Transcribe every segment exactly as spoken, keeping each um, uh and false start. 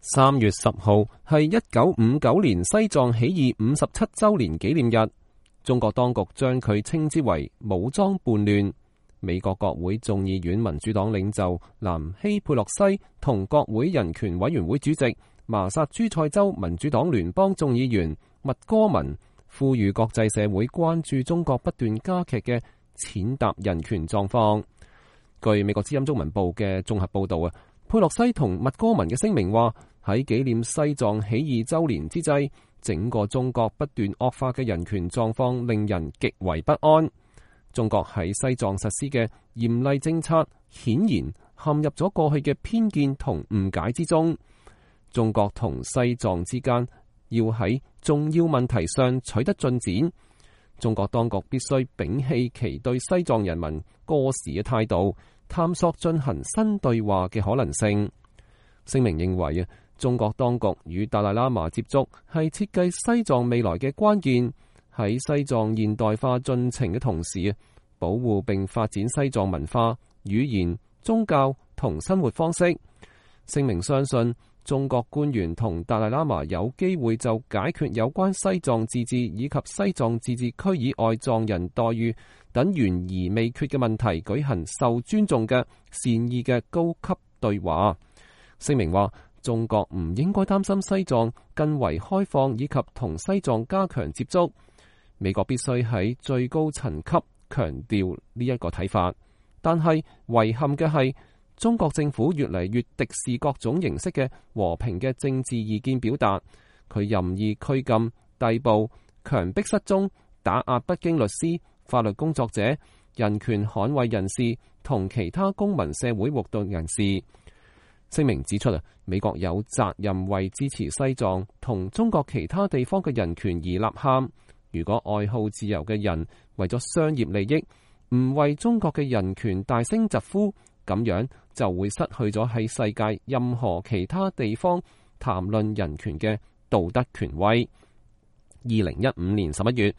三月十號係一九五九年西藏起義五十七周年紀念日，中國當局將佢稱之為武裝叛亂。美國國會眾議院民主黨領袖南希佩洛西同國會人權委員會主席麻薩諸塞州民主黨聯邦眾議員麥戈文呼籲國際社會關注中國不斷加劇嘅踐踏人權狀況。據美國之音中文部嘅綜合報道啊，佩洛西同麥戈文嘅聲明話，喺紀念西藏起義周年之際，整個中國不斷惡化嘅人權狀況令人極為不安。中國喺西藏實施嘅嚴厲政策，顯然陷入咗過去嘅偏見同誤解之中。中國同西藏之間要喺重要問題上取得進展，中國當局必須摒棄其對西藏人民過時嘅態度，探索進行新對話嘅可能性。聲明認為啊，中國當局與達賴喇嘛接觸係設計西藏未來嘅關鍵。喺西藏現代化進程嘅同時，保護並發展西藏文化、語言、宗教同生活方式。聲明相信，中國官員同達賴喇嘛有機會就解決有關西藏自治以及西藏自治區以外藏人待遇等懸而未決嘅問題舉行受尊重嘅善意嘅高級對話。聲明話，中國唔應該擔心西藏更為開放以及同西藏加強接觸。美國必須喺最高層級強調呢一個睇法，但係遺憾嘅係，中國政府越嚟越敵視各種形式嘅和平嘅政治意見表達。佢任意拘禁、逮捕、強迫失蹤、打壓北京律師、法律工作者、人權捍衛人士同其他公民社會活動人士。聲明指出啊，美國有責任為支持西藏同中國其他地方嘅人權而吶喊。如果愛好自由嘅人為咗商業利益，唔為中國嘅人權大聲疾呼，咁樣就會失去咗喺世界任何其他地方談論人權嘅道德權威。二零一五年十一月，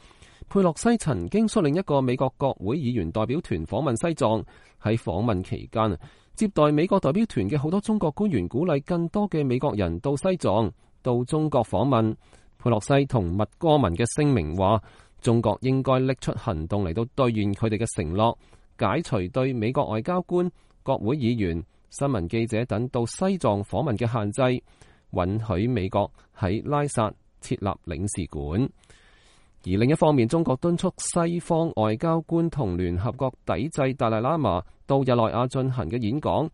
佩洛西曾經率領一個美國國會議員代表團訪問西藏。喺訪問期間，接待美國代表團嘅好多中國官員鼓勵更多嘅美國人到西藏、到中國訪問。佩洛西同麥戈文嘅聲明話，中國應該拎出行動嚟到兌現佢哋嘅承諾，解除對美國外交官、國會議員、新聞記者等到西藏訪問嘅限制，允許美國喺拉薩設立領事館。而另一方面，中國敦促西方外交官同聯合國抵制達賴喇嘛到日內瓦進行嘅演講。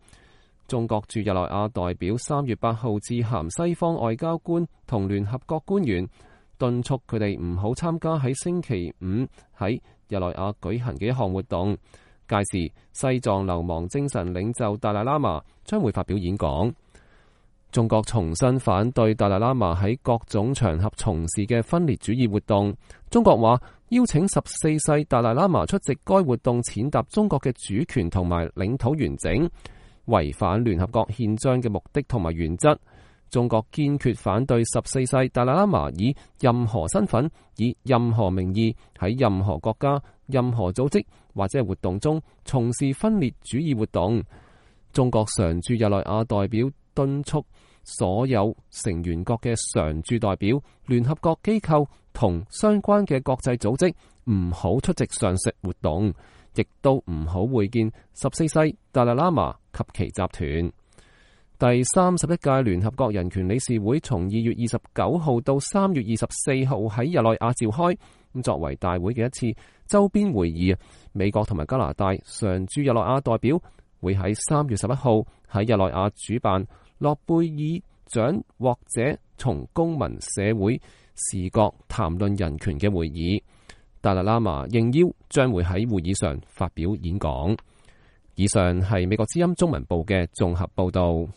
中國駐日內瓦代表三月八號致函西方外交官同聯合國官員，敦促佢哋唔好參加喺星期五喺日內瓦舉行嘅一項活動。屆時，西藏流亡精神領袖達賴喇嘛將會發表演講。中國重新反對達賴喇嘛喺各種場合從事嘅分裂主義活動。中國話邀請十四世達賴喇嘛出席該活動，踐踏中國嘅主權同埋領土完整，違反聯合國憲章嘅目的同埋原則。中國堅決反對十四世達賴喇嘛以任何身份、以任何名義喺任何國家、任何組織或者活動中從事分裂主義活動。中國常駐日內瓦代表敦促所有成員國嘅常駐代表、聯合國機構同相關嘅國際組織唔好出席上述活動，亦都唔好會見十四世達賴喇嘛及其集團。第三十一屆聯合國人權理事會從二月二十九號到三月二十四號喺日內瓦召開，咁作為大會嘅一次周邊會議。美國同埋加拿大常駐日內瓦代表會喺三月十一號喺日內瓦主辦諾貝爾獎獲者從公民社會視角談論人權嘅會議。達賴喇嘛應邀將會喺會議上發表演講。以上係美國之音中文部嘅綜合報道。